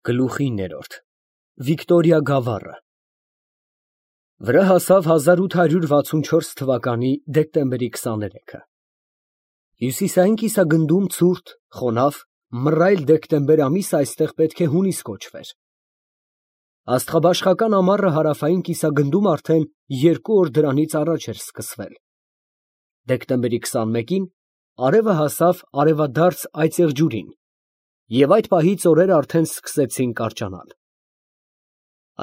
Գլուխ 9 Վիկտորիա գավառը Վրա հասավ 1864 թվականի դեկտեմբերի 23-ը։ Հյուսիսային կիսագնդում ցուրտ, խոնավ, մռայլ դեկտեմբեր ամիսը այստեղ պետք է հունիս կոչվեր։ Աստղաբաշխական ամառը հարավային կիսագնդում արդեն 2 օր դրանից առաջ էր սկսվել։ Դեկտեմբերի 21-ին արևը հասավ արևադարձ այծեղջյուրին, և այդ պահից օրերը արդեն սկսեցին կարճանալ։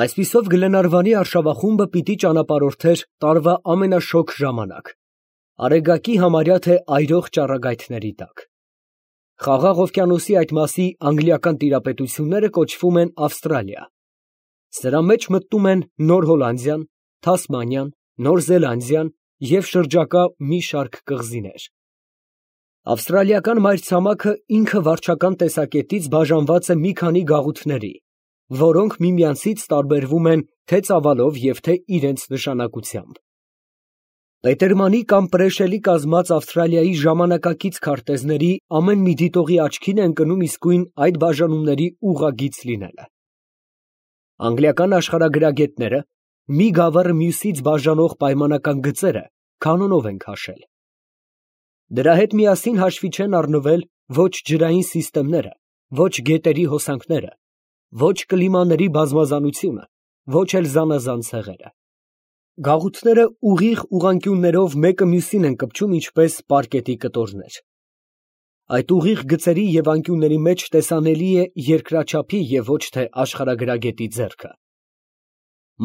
Այսպիսով Գլենարվանի արշավախումբը պիտի ճանապարհորդեր տարվա ամենաշոգ ժամանակ, Արեգակի համարյա թե այրող ճառագայթների տակ։ Խաղաղ օվկիանոսի այդ մասի անգլիական տիրապետությունները կոչվում են Ավստրալիա։ Սրա մեջ մտնում են Նոր Հոլանդիան, Թասմանիան, Նոր Զելանդիան և շրջակա մի շարք կղզիներ։ Ավստրալիական մայրցամաքը ինքը վարչական տեսակետից բաժանված է մի քանի գաղութների, որոնք միմյանցից տարբերվում են թե ծավալով և թե իրենց նշանակությամբ։ Պետերմանի կամ Պրեշելի կազմած Ավստրալիայի ժամանակակից քարտեզների ամեն մի դիտողի աչքին է ընկնում իսկույն այդ բաժանումների ուղղագիծ լինելը։ Անգլիական աշխարհագրագետները մի գավառը մյուսից բաժանող պայմանական գծերը կանոնով են քաշել։ Դրա հետ միասին հաշվի չեն առնվել ոչ ջրային սիստեմները, ոչ գետերի հոսանքները, ոչ կլիմաների բազմազանությունը, ոչ էլ զանազան ցեղերը։ Գաղութները ուղիղ ուղղանկյուններով մեկը մյուսին են կպչում ինչպես պարկետի կտորներ։ Այդ ուղիղ գծերի և անկյունների մեջ տեսանելի է երկրաչափի և ոչ թե աշխարհագրագետի ձեռքը։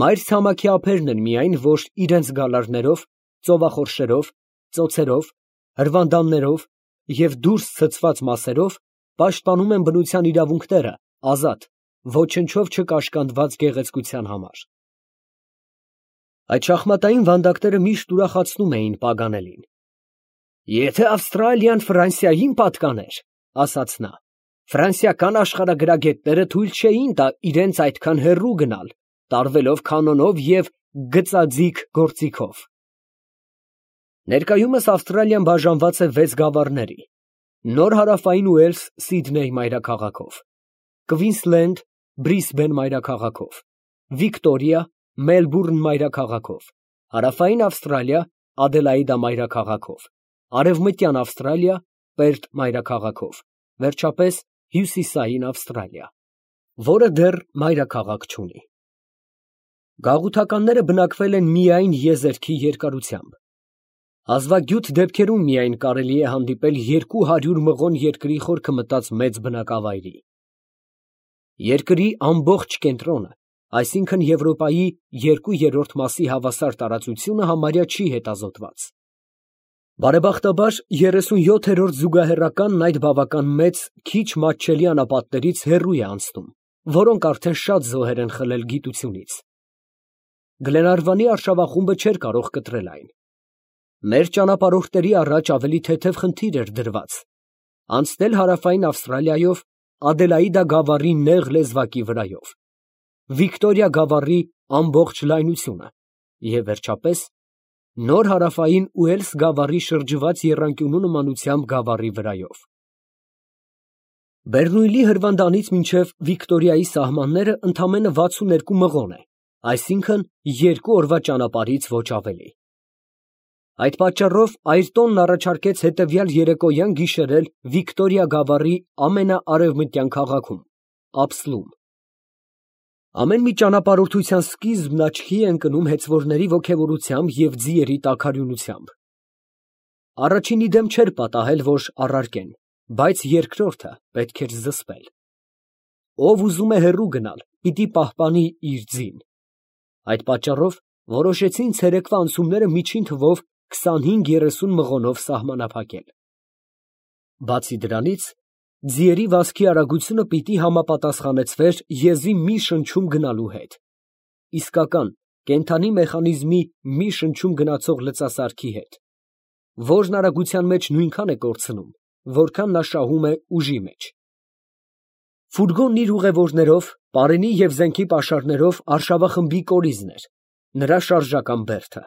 Մայրցամաքի ափերն են միայն, որ իրենց գալարներով, ծովախորշերով, ծոցերով, հրվանդաններով և դուրս ցցված մասերով պաշտպանում են բնության իրավունքները ազատ, ոչնչով չկաշկանդված գեղեցկության համար։ Այդ շախմատային վանդակները միշտ ուրախացնում էին Պագանելին։ «Եթե Ավստրալիան Ֆրանսիային պատկաներ, ֊ ասաց նա, ֊ ֆրանսիական աշխարհագրագետները թույլ չէին տա իրենց այդքան հեռու գնալ, տարվելով կանոնով և գծաձիգ գործիքով»։ Ներկայումս Ավստրալիան բաժանված է 6 գավառների՝ Նոր Հարավային Ուելս Սիդնեյ մայրաքաղաքով, Քվինսլենդ Բրիսբեն մայրաքաղաքով, Վիկտորիա Մելբուրն մայրաքաղաքով, Հարավային Ավստրալիա Ադելաիդա մայրաքաղաքով, Արևմտյան Ավստրալիա Պերտ մայրաքաղաքով, վերջապես Հյուսիսային Ավստրալիա, որը դեռ մայրաքաղաք չունի։ Գաղութականները բնակվել են միայն եզերքի երկարությամբ։ Հազվագյուտ դեպքերում միայն կարելի է հանդիպել 200 մղոն երկրի խորքը մտած մեծ բնակավայրի։ Երկրի ամբողջ կենտրոնը, այսինքն Եվրոպայի 2/3 մասի հավասար տարածությունը համարյա չի հետազոտված։ Բարեբախտաբար 37-րդ զուգահեռականն այդ բավական մեծ, քիչ մատչելի անապատներից հեռու է անցնում, որոնք արդեն շատ զոհեր են խլել գիտությունից։ Գլենարվանի արշավախումբը չէր կարող կտրել այն։ Մեր ճանապարհորդների առաջ ավելի թեթև խնդիր էր դրված՝ անցնել Հարավային Ավստրալիայով Ադելաիդա գավառի նեղ լեզվակի վրայով, Վիկտորիա գավառի ամբողջ լայնությունը և վերջապես Նոր Հարավային Ուելս գավառի շրջված եռանկյունու նմանությամբ գավառի վրայով։ Բեռնույլի հրվանդանից մինչև Վիկտորիայի սահմանները ընդամենը 62 մղոն է, այսինքն 2 օրվա ճանապարհից ոչ ավելի։ Այդ պատճառով Այրտոնն առաջարկեց հետևյալ երեկոյան գիշերել Վիկտորիա գավառի ամենաարևմտյան քաղաքում՝ Ափսլում։ Ամեն մի ճանապարհորդության սկիզբն աչքի է ընկնում հեծվորների ոգևորությամբ և ձիերի տաքարյունությամբ։ Առաջինի դեմ չէր պատահել, որ առարկեն, բայց երկրորդը պետք էր զսպել։ Ով ուզում է հեռու գնալ, պիտի պահպանի իր ձին։ Այդ պատճառով որոշեցին ցերեկվա անցումները միջին թվով 25-30 մղոնով սահմանափակել։ Բացի դրանից, ձիերի վազքի արագությունը պիտի համապատասխանեցվեր եզի մի շնչում գնալու հետ, իսկական կենդանի մեխանիզմի մի շնչում գնացող լծասարքի հետ, որն արագության մեջ նույնքան է կորցնում, որքան նա շահում է ուժի մեջ։ Ֆուրգոնն իր ուղևորներով, պարենի և զենքի պաշարներով արշավախմբի կորիզն էր, նրա շարժական բերդը։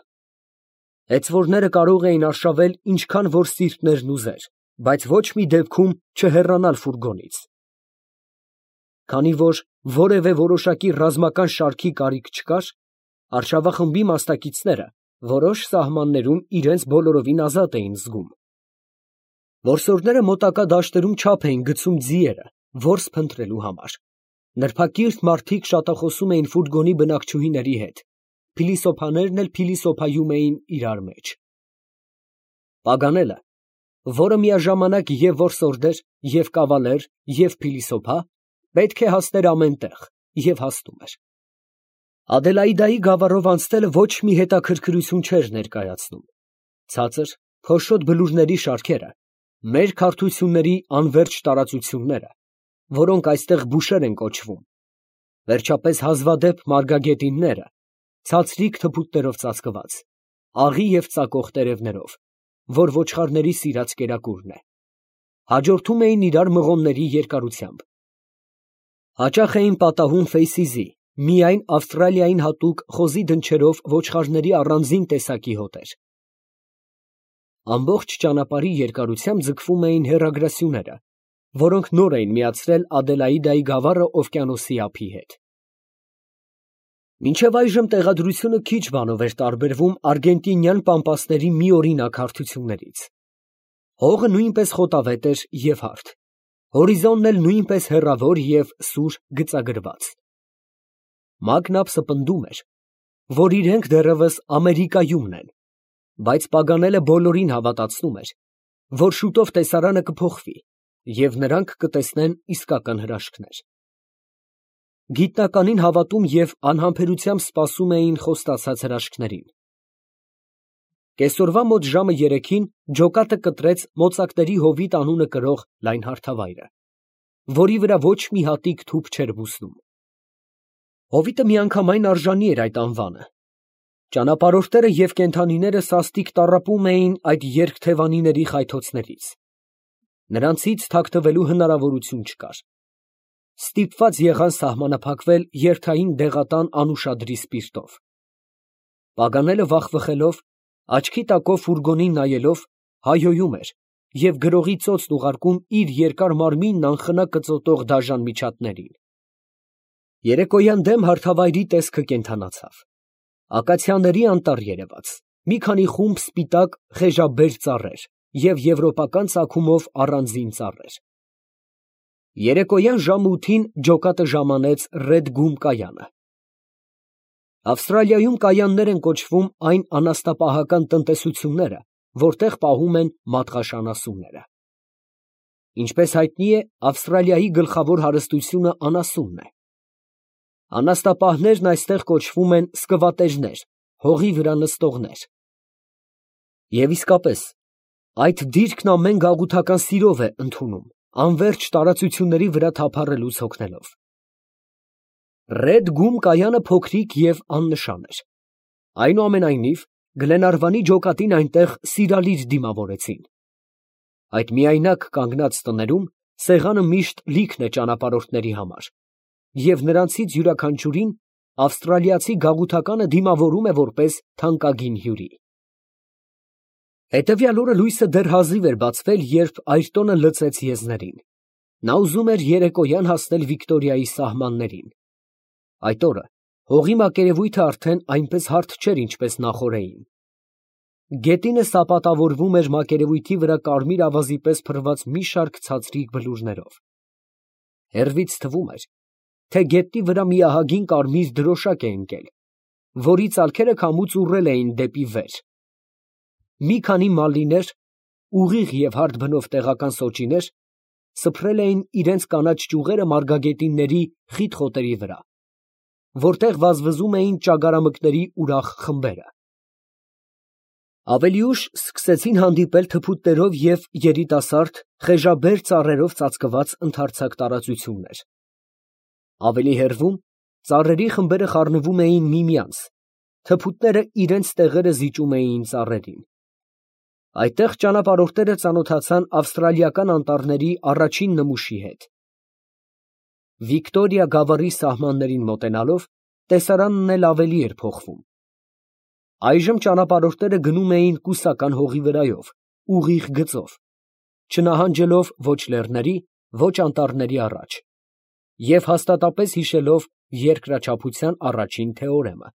Հեծվորները կարող էին արշավել ինչքան որ սիրտներն ուզեր, բայց ոչ մի դեպքում չհեռանալ ֆուրգոնից։ Քանի որ որևէ որոշակի ռազմական շարքի կարիք չկար, արշավախմբի մասնակիցները որոշ սահմաններում իրենց բոլորովին ազատ էին զգում։ Որսորդները մոտակա դաշտերում չափ էին գցում ձիերը որս փնտրելու համար։ Նրբակիրթ մարդիկ շատախոսում էին ֆուրգոնի բնակչուհիների հետ, փիլիսոփաներն էլ փիլիսոփայում էին իրար մեջ։ Պագանելը, որը միաժամանակ և որսորդ էր, և կավալեր, և փիլիսոփա, պետք է հասներ ամեն տեղ, և հասնում էր։ Ադելաիդայի գավառով անցնելը ոչ մի հետաքրքրություն չէր ներկայացնում։ Ցածր, փոշոտ բլուրների շարքերը, մերկ հարթությունների անվերջ տարածությունները, որոնք այստեղ բուշեր են կոչվում, վերջապես հազվադեպ մարգագետինները, ցածրիկ թփուտներով ծածկված, աղի և ծակող տերևներով, որ ոչխարների սիրած կերակուրն է, հաջորդում էին իրար մղոնների երկարությամբ։ Հաճախ էին պատահում ֆեյսիզի, միայն Ավստրալիային հատուկ խոզի դնչերով ոչխարների առանձին տեսակի հոտեր։ Ամբողջ ճանապարհի երկարությամբ ձգվում էին հեռագրասյուները, որոնք նոր էին միացրել Ադելաիդայի գավառը օվկիանոսի ափի հետ։ Մինչև այժմ տեղադրությունը քիչ բանով էր տարբերվում արգենտինյան պամպասների մի օրինակ հարթություններից։ Հողը նույնպես խոտավետ էր և հարթ, հորիզոնն էլ նույնպես հեռավոր և սուր գծագրված։ Մագնապսը պնդում էր, որ իրենք դեռևս Ամերիկայումն են, բայց Պագանելը բոլորին հավատացնում էր, որ շուտով տեսարանը կփոխվի, և նրանք կտեսնեն իսկական հրաշքներ։ Գիտնականին հավատում և անհամբերությամբ սպասում էին խոստացած հրաշքներին։ Կեսօրվա մոտ ժամը 3-ին ջոկատը կտրեց մոծակների հովիտ անունը կրող լայն հարթավայրը, որի վրա ոչ մի հատիկ թուփ չէր բուսնում։ Հովիտը միանգամայն արժանի էր այդ անվանը։ Ճանապարհորդները և կենդանիները սաստիկ տառապում էին այդ երկթևանիների խայթոցներից։ Նրանցից թաքնվելու հնարավորություն չկար։ Ստիպված եղան սահմանափակվել երթային դեղատան անուշադրի սպիրտով։ Պագանելը վախվխելով, աչքի տակով ֆուրգոնին նայելով, հայհոյում էր և գրողի ծոցն ուղարկում իր երկար մարմինն անխնա կծոտող դաժան միջատներին։ Երեկոյան դեմ հարթավայրի տեսքը կենդանացավ։ Ակացիաների անտառ երևաց, մի քանի խումբ սպիտակ խեժաբեր ծառեր և եվրոպական ծագումով առանձին ծառեր։ Երեկոյան ժամը 8-ին ջոկատը ժամանեց Ռեդ Գում կայանը։ Ավստրալիայում կայաններ են կոչվում այն անասնապահական տնտեսությունները, որտեղ պահում են մատղաշ անասունները։ Ինչպես հայտնի է, Ավստրալիայի գլխավոր հարստությունը անասունն է։ Անասնապահներն այստեղ կոչվում են սկվատեժներ, հողի վրա նստողներ։ Եվ իսկապես, այդ դիրքն ամեն գաղութական սիրով է ընդունում, անվերջ տարածությունների վրա թափառելուց հոգնելով։ Ռեդ Գում կայանը փոքրիկ և աննշան էր։ Այնուամենայնիվ, Գլենարվանի ջոկատին այնտեղ սիրալիր դիմավորեցին։ Այդ միայնակ կանգնած տներում սեղանը միշտ լիքն է ճանապարհորդների համար, և նրանցից յուրաքանչյուրին ավստրալիացի գաղութականը դիմավորում է որպես թանկագին հյուրի։ Հետևյալ օրը լույսը դեռ հազիվ էր բացվել, երբ այրտոնը լցեց եզներին։ Նա ուզում էր երեկոյան հասնել Վիկտորիայի սահմաններին։ Այդ օրը հողի մակերևույթը արդեն այնպես հարթ չէր, ինչպես նախօրեին։ Գետինը սապատավորվում էր մակերևույթի վրա կարմիր ավազի պես փռված մի շարք ցածրիկ բլուրներով։ Հեռվից թվում էր, թե գետնի վրա մի ահագին կարմիր դրոշակ է ընկել, որի ծալքերը քամուց ուռել էին դեպի վեր։ Մի քանի մալլիներ, ուղիղ և հարթ բնով տեղական սոճիներ, սփռել էին իրենց կանաչ ճյուղերը մարգագետինների խիտ խոտերի վրա, որտեղ վազվզում էին ճագարամկների ուրախ խմբերը։ Ավելի ուշ սկսեցին հանդիպել թփուտներով և երիտասարդ, խեժաբեր ծառերով ծածկված ընդարձակ տարածություններ։ Ավելի հեռվում ծառերի խմբերը խառնվում էին միմյանց, թփուտները իրենց տեղերը զիջում էին ծառերին։ Այդտեղ ճանապարհորդները ծանոթացան ավստրալիական անտառների առաջին նմուշի հետ։ Վիկտորիա գավառի սահմաններին մոտենալով տեսարանն էլ ավելի էր փոխվում։ Այժմ ճանապարհորդները գնում էին կուսական հողի վրայով, ուղիղ գծով, չնահանջելով ոչ լեռների, ոչ անտառների առաջ։ և հաստատապես հիշելով երկրաչափության առաջին թեորեմը,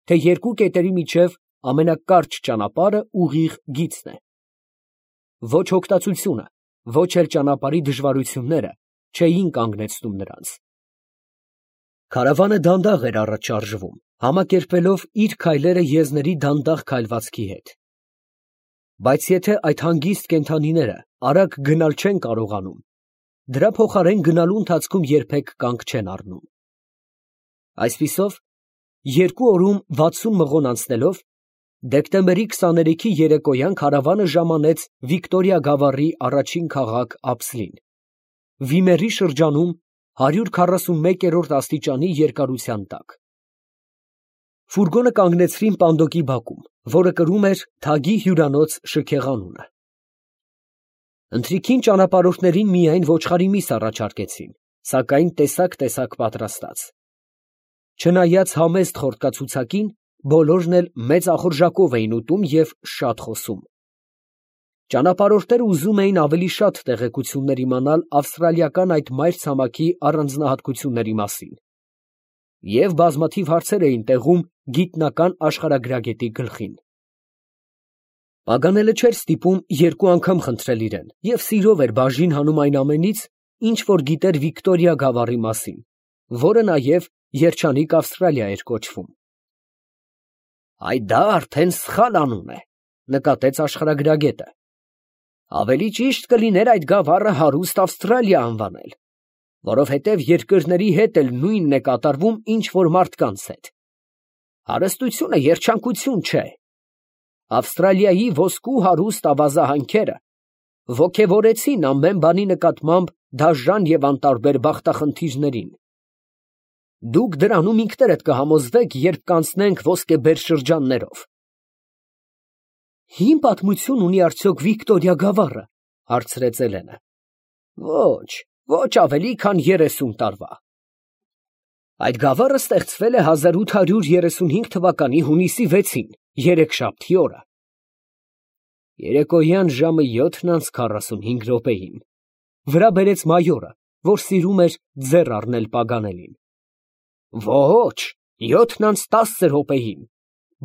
թե երկու կետերի միջև ամենակարճ ճանապարհը ուղիղ գիծն է։ Ոչ հոգտածությունը, ոչ էլ ճանապարհի դժվարությունները չէին կանգնեցնում նրանց։ Քարավանը դանդաղ էր առաջ շարժվում, համակերպելով իր քայլերը եզների դանդաղ քայլվածքի հետ։ Բայց եթե այդ հանգիստ կենդանիները արագ գնալ չեն կարողանում, դրա փոխարեն գնալու ընթացքում երբեք կանգ չեն առնում։ Այսպիսով, 2 օրում 60 մղոն անցնելով, դեկտեմբերի 23-ի երեկոյան քարավանը ժամանեց Վիկտորիա գավառի առաջին քաղաք Ափսլին, Վիմերի շրջանում 141-րդ աստիճանի երկարության տակ։ Ֆուրգոնը կանգնեցրին Պանդոկի բակում, որը կրում էր թագի հյուրանոց շքեղանունը։ Ընթրիքին ճանապարհորդներին միայն ոչխարի միս առաջարկեցին, սակայն տեսակ պատրաստած։ Չնայած համեստ խորտկացուցակին, բոլորն էլ մեծ ախորժակով էին ուտում և շատ խոսում։ Ճանապարհորդները ուզում էին ավելի շատ տեղեկություններ իմանալ ավստրալիական այդ մայրցամաքի առանձնահատկությունների մասին, և բազմաթիվ հարցեր էին տեղում գիտնական աշխարհագրագետի գլխին։ Պագանելը չէր ստիպում 2 անգամ խնդրել իրեն և սիրով էր բաժին հանում այն ամենից, ինչ որ գիտեր Վիկտորիա գավառի մասին, որը նաև երջանիկ Ավստրալիա էր կոչվում։ Դա արդեն սխալ անուն է, նկատեց աշխարհագրագետը։ Ավելի ճիշտ կլիներ այդ գավառը հարուստ Ավստրալիա անվանել, որովհետև երկրների հետ էլ նույնն է կատարվում, ինչ որ մարդկանց հետ։ Հարստությունը երջանկություն չէ։ Ավստրալիայի ոսկու հարուստ ավազահանքերը ոգևորեցին ամեն բանի նկատմամբ դաժան և անտարբեր բախտախնդիրներին։ Դուք դրանում ինքներդ կհամոզվեք, երբ կանցնենք ոսկեբեր շրջաններով։ Հին պատմություն ունի արդյոք Վիկտորիա գավառը, հարցրեց Էլենը։ Ոչ ավելի, քան 30 տարվա։ Այդ գավառը ստեղծվել է 1835 թվականի հունիսի 6-ին, երեքշաբթի օրը։ Երեկոյան ժամը 7:45, վրա բերեց մայորը, որ սիրում էր ձեռ առնել Պագանելին։ Ոչ, 7:10,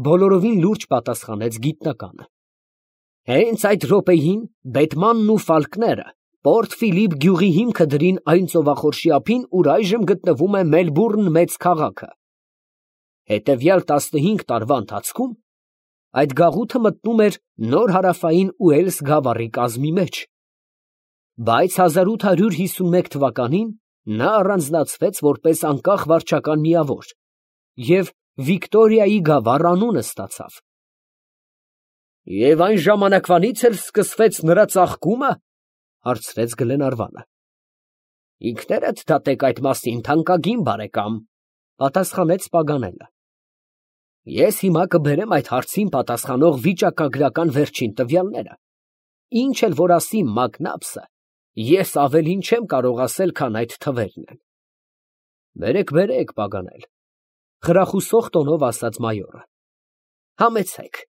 բոլորովին լուրջ պատասխանեց գիտնականը։ Հենց այդ րոպեին բետմանն ու ֆալկները Պորտ Ֆիլիպ գյուղի հիմքը դրին այն ծովախորշի ափին, ուր այժմ գտնվում է Մելբուրն մեծ քաղաքը։ Հետևյալ 15 տարվա ընթացքում այդ գաղութը մտնում էր նոր հարավային Ուելս գավառի կազմի մեջ, բայց 1851 թվականին նա առանձնացվեց որպես անկախ վարչական միավոր և Վիկտորիայի գավառ անունը ստացավ։ Եվ այն ժամանակվանից էլ սկսվեց նրա ծաղկումը, հարցրեց Գլենարվանը։ Ինքներդ դատեք այդ մասին, թանկագին բարեկամ, պատասխանեց Պագանելը։ Ես հիմա կբերեմ այդ հարցին պատասխանող վիճակագրական վերջին տվյալները, ինչ էլ որ ասի Մակնաբսը, ես ավելին չեմ կարող ասել, քան այդ թվերն են։ Բերեք, Պագանել, խրախուսող տոնով ասաց մայորը։ Համեցեք։